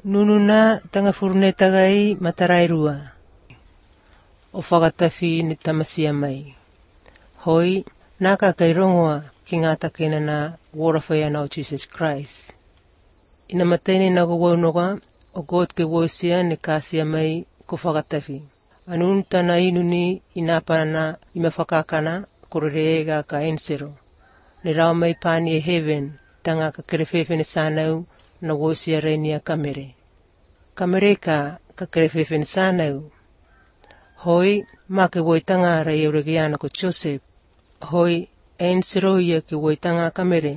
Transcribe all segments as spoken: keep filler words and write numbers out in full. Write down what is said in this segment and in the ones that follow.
Nununa tanga furune tagai matarai rua. O whakatawhi ni tamasia mai. Hoi, naka kei rongoa ki ngā takena na wora ana o Jesus Christ. Ina matene na go waunoga, o God ke wosia ni kasia mai ko whakatawhi. Anun tana inuni ina panana ima whakakana korere ka ensero. Ne rao mai pani e heaven, tanga ka kerewhewhene sanau na wosia reinia kamere. Kamere ka ka kerewhewhene sanau. Hoi, ma ke woitanga rei euregiana ko Joseph. Hoi, ensero ia ke woitanga kamere.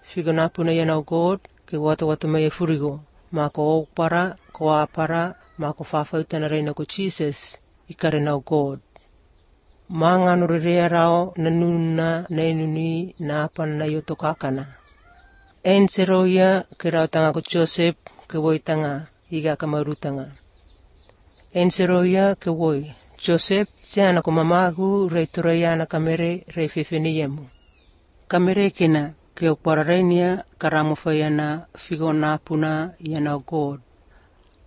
Figo napuna ia nau God, ke wata wata mai e furigo. Ma ko okpara, ko apara, ma ko whawhautana reina ko Jesus, i kare nau God. Ma ngano rerea rao na nuna na inuni na apana na ioto kakana. Ensero ia ke rao tanga ko Joseph ke woitanga iga ka marutanga. Ensero ia ke woi, Joseph, se ana ko mamagu rei torei ana kamere rei whewhene iemu. Kamere kena ke o pararenia karamo whai ana figo nāpuna i ana o God.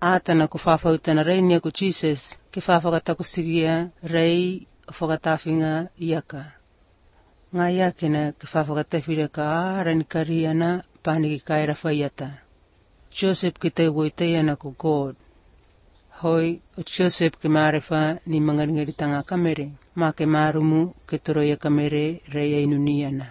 Ātana ko whawhautana reinia ko Jesus ke whawhakatakusigia rei o whakatawhinga iaka. Ngā ia kena ke whawhakatawhira ka ārani kari ana pāniki kaera whaiata. Joseph ke te woi ana ko God. Hoi, o Joseph ke marefa ni mangaringaritanga kamere, ma ke marumu ke toroia kamere reia inuni ana.